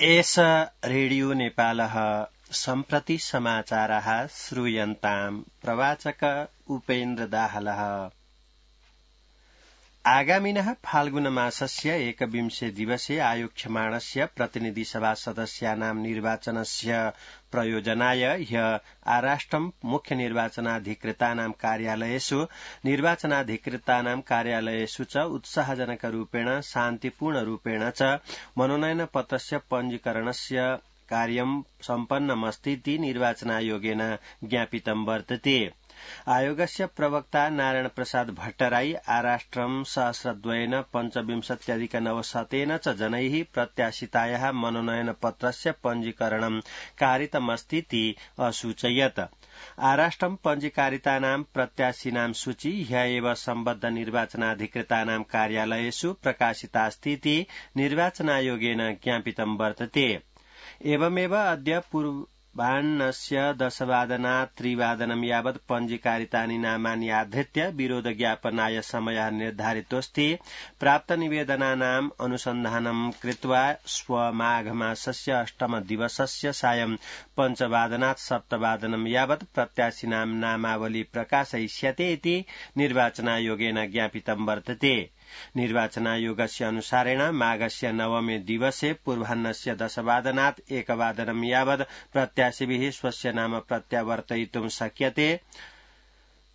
एष रेडियो नेपालः सम्प्रति समाचारः श्रूयन्ताम् प्रवाचक उपेन्द्र दाहालः। आगामिनः फाल्गुनमासस्य 21 दिवसे आयोक्ष्यमाणस्य प्रतिनिधिसभा सदस्यानां निर्वाचनस्य प्रयोजनाय ह्य आराष्ट्रं मुख्य निर्वाचनाधिकृतानां कार्यालयेषु निर्वाचनाधिकृतानां कार्यालयेषु च उत्साहजनकरूपेण शान्तिपूर्णरूपेण च मनोनयनपत्रस्य पञ्जीकरणस्य कार्यं सम्पन्नमस्तीति निर्वाचनायोगेन ज्ञापितं वर्तते। आयोगस्य प्रवक्ता नारायण प्रसाद भट्टराई आराष्ट्रं सहस्रद्वयेन 25,900 च जनैः प्रत्याशितायाः मनोनयनपत्रस्य पञ्जीकरणं कारितमस्तीति असूचयत्। आराष्ट्रं पञ्जीकारितानां प्रत्याशिनां सूची ह्य एव सम्बद्ध निर्वाचनाधिकृतानां कार्यालयेषु प्रकाशितास्तीति निर्वाचनायोगेन ज्ञापितं वर्तते। एवमेव अद्य पूर्वाह्नस्य 10:00 3:00 यावत् पञ्जीकारितानि नामानि आधृत्य विरोधज्ञापनाय समयः निर्धारितोऽस्ति। प्राप्तनिवेदनानाम् अनुसन्धानं कृत्वा स्वमाघमासस्य 8 दिवसस्य सायं 5:00 7:00 यावत् प्रत्याशिनां नामावली प्रकाशयिष्यते इति निर्वाचनायोगेन ज्ञापितं वर्तते। निर्वाचनायोगस्य अनुसारेण माघस्य 9 दिवसे पूर्वाह्नस्य 10:00 1:00 यावत् प्रत्याशिभिः स्वस्य नाम प्रत्यावर्तयितुं शक्यते।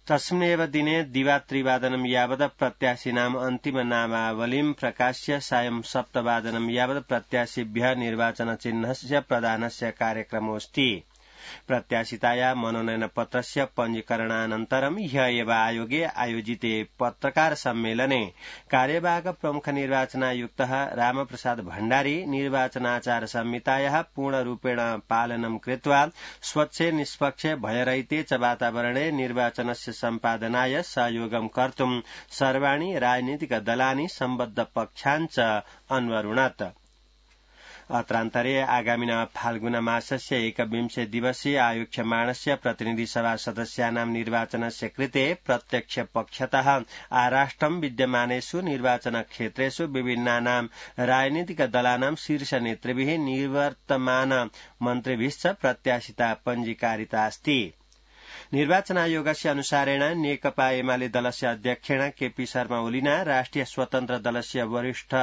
तस्मिन्नेव दिने दिवा 3:00 यावत् प्रत्याशिनाम् अन्तिम नामावलीं प्रकाश्य सायं 7:00 यावत् प्रत्याशिभ्यः निर्वाचनचिह्नस्य प्रदानस्य कार्यक्रमोऽस्ति। प्रत्याशिताया मनोनयनपत्रस्य पञ्जीकरणानन्तरं ह्य एव आयोगे आयोजिते पत्रकार सम्मेलने कार्यवाहक प्रमुख निर्वाचनायुक्तः रामप्रसाद भण्डारी निर्वाचनाचार संहितायाः पूर्णरूपेण पालनं कृत्वा स्वच्छे निष्पक्षे भयरहिते च वातावरणे निर्वाचनस्य सम्पादनाय सहयोगं कर्तुं सर्वाणि राजनीतिकदलानि सम्बद्ध पक्षान् च अन्वरुणत्। अत्रान्तरे आगामिनः फाल्गुनमासस्य 21 दिवसे आयोक्ष्यमाणस्य प्रतिनिधिसभा सदस्यानां निर्वाचनस्य कृते प्रत्यक्ष पक्षतः आराष्ट्रं विद्यमानेषु निर्वाचनक्षेत्रेषु विभिन्नानां राजनीतिकदलानां शीर्षनेतृभिः निवर्तमान मन्त्रिभिश्च प्रत्याशिता पञ्जीकारिता अस्ति। निर्वाचनायोगस्य अनुसारेण नेकपा एमाले दलस्य अध्यक्षेण केपी शर्मा ओलीना राष्ट्रिय स्वतन्त्र दलस्य वरिष्ठ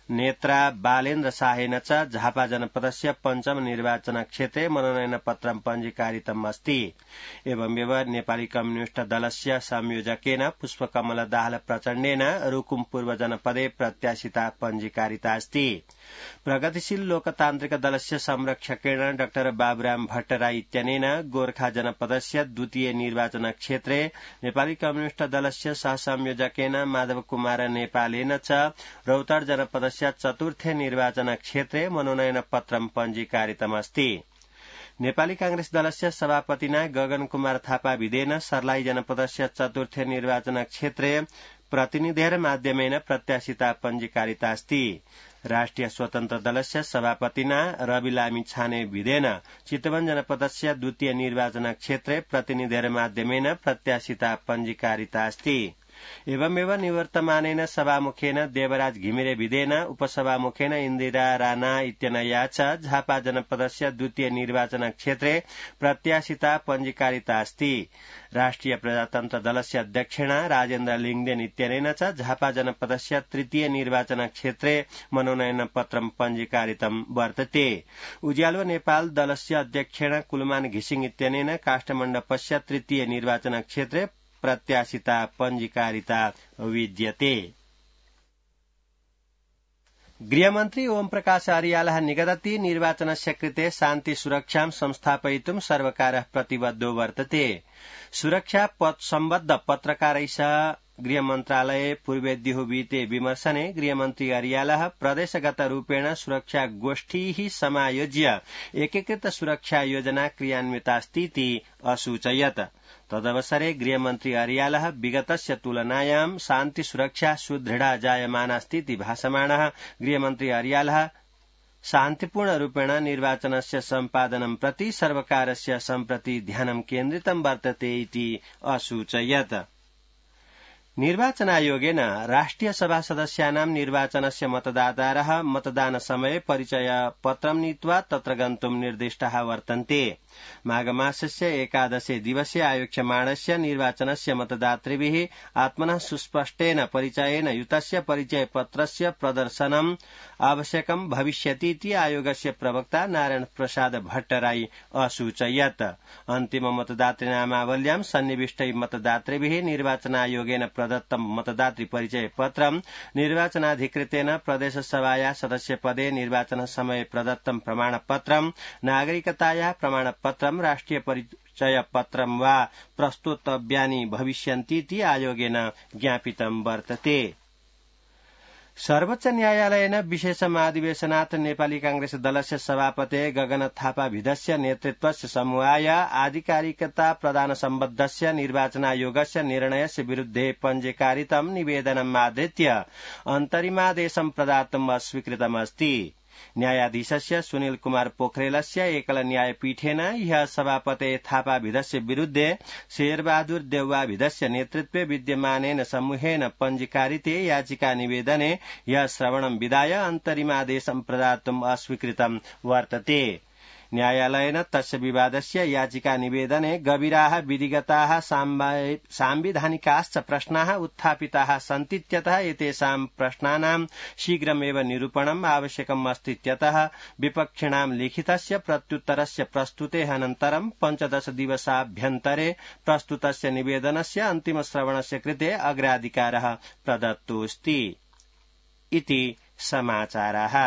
नेत्रा बालेन्द्र शाहेन च झापा जनपदस्य पञ्चम निर्वाचनक्षेत्रे मनोनयनपत्रं पञ्जीकारितम् अस्ति। एवमेव नेपाली कम्युनिष्ट दलस्य संयोजकेन पुष्पकमल दाहाल प्रचण्डेन रुकुम पूर्व जनपदे प्रत्याशिता पञ्जीकारिता अस्ति। प्रगतिशील लोकतान्त्रिक दलस्य संरक्षकेण डाक्टर बाबुराम भट्टराई इत्यनेन गोर्खा जनपदस्य द्वितीय निर्वाचनक्षेत्रे नेपाली कम्युनिष्ट दलस्य सहसंयोजकेन माधव कुमार नेपालेन च रौतहट जनपदस्य चतुर्थे निर्वाचनक्षेत्रे मनोनयनपत्रं पञ्जीकारितमस्ति। नेपाली कांग्रेस दलस्य सभापतिना गगन कुमार थापा विदेन सर्लाही जनपदस्य चतुर्थे निर्वाचनक्षेत्रे प्रतिनिधेर माध्यमेन प्रत्याशिता पञ्जीकारिता अस्ति। राष्ट्रिय स्वतन्त्र दलस्य सभापतिना रवि लामी छाने विदेन चितवन जनपदस्य द्वितीय निर्वाचनक्षेत्रे प्रतिनिधेर माध्यमेन प्रत्याशिता पञ्जीकारिता अस्ति। एवमेव निवर्तमानेन सभामुखेन देवराज घिमिरे विदेन उपसभामुखेन इन्दिरा राणा इत्यनया च झापा जनपदस्य द्वितीय निर्वाचनक्षेत्रे प्रत्याशिता पञ्जीकारिता अस्ति। राष्ट्रिय प्रजातन्त्र दलस्य अध्यक्षेण राजेन्द्र लिङदेन इत्यनेन च झापा जनपदस्य तृतीय निर्वाचनक्षेत्रे मनोनयनपत्रं पञ्जीकारितं वर्तते। उज्यालो नेपाल दलस्य अध्यक्षेण कुलमान घिसिङ इत्यनेन काष्ठमण्डपस्य तृतीय निर्वाचनक्षेत्रे प्रत्याशिता पञ्जीकारिता विद्यते। गृहमन्त्री ओम प्रकाश अर्यालः निगदति निर्वाचनस्य कृते शान्ति सुरक्षां संस्थापयितुं सर्वकारः प्रतिबद्धो वर्तते। सुरक्षा सम्बद्ध पत्रकारैः सह गृहमन्त्रालये पूर्वेद्युः वीते विमर्शने गृहमन्त्री अर्यालः प्रदेशगत रूपेण सुरक्षा गोष्ठीः समायोज्य एकीकृत सुरक्षा योजना क्रियान्वितास्तीति असूचयत्। तदवसरे गृहमन्त्री अर्यालः विगतस्य तुलनायां शान्ति सुरक्षा सुदृढा जायमानास्तीति भाषमाणः गृहमन्त्री अर्यालः शान्तिपूर्णरूपेण निर्वाचनस्य सम्पादनं प्रति सर्वकारस्य सम्प्रति ध्यानं केन्द्रितं वर्तते इति असूचयत्। निर्वाचनायोगेन राष्ट्रिय सभा सदस्यानां निर्वाचनस्य मतदातारः मतदानसमये परिचयपत्रं नीत्वा तत्र गन्तुं निर्दिष्टाः वर्तन्ते। माघमासस्य 11 दिवसे आयोक्ष्यमाणस्य निर्वाचनस्य मतदातृभिः आत्मनः सुस्पष्टेन परिचयेन युतस्य परिचयपत्रस्य प्रदर्शनम् आवश्यकं भविष्यतीति आयोगस्य प्रवक्ता नारायण प्रसाद भट्टराई असूचयत्। अन्तिम मतदातृनामावल्यां सन्निविष्टै मतदातृभिः निर्वाचनायोगेन प्रदत्तं मतदातृ परिचयपत्रं निर्वाचनाधिकृतेन प्रदेशसभाया सदस्यपदे निर्वाचनसमये प्रदत्तं प्रमाणपत्रं नागरिकताया प्रमाणपत्रं राष्ट्रिय परिचयपत्रं वा प्रस्तुतव्यानि भविष्यन्तीति आयोगेन ज्ञापितं वर्तते। सर्वोच्च न्यायालयेन विशेषमाधिवेशनात् नेपाली कांग्रेस दलस्य सभापते गगन थापाभिधस्य नेतृत्वस्य समूहाय आधिकारिकता प्रदान सम्बद्धस्य निर्वाचनायोगस्य निर्णयस्य विरुद्धे पञ्जीकारितं निवेदनम् आधृत्य अन्तरिमादेशं प्रदातुम् अस्वीकृतमस्ति। न्यायाधीशस्य सुनील कुमार पोखरेलस्य एकल न्यायपीठेन ह्यः सभापते थापाभिधस्य विरुद्धे शेरबहादुर देउवाभिधस्य नेतृत्वे विद्यमानेन समूहेन पञ्जीकारिते याचिका निवेदने ह्यः श्रवणं विधाय अन्तरिमादेशं प्रदातुम् अस्वीकृतं वर्तते। न्यायालयेन तस्य विवादस्य याचिका निवेदने गभीराः विधिगताः सांविधानिकाश्च प्रश्नाः उत्थापिताः सन्तीत्यतः एतेषां प्रश्नानां शीघ्रमेव निरूपणम् आवश्यकम् अस्तीत्यतः विपक्षिणां लिखितस्य प्रत्युत्तरस्य प्रस्तुतेः अनन्तरं 15 दिवसाभ्यन्तरे प्रस्तुतस्य निवेदनस्य अन्तिमश्रवणस्य कृते अग्राधिकारः प्रदत्तोऽस्ति इति समाचाराः।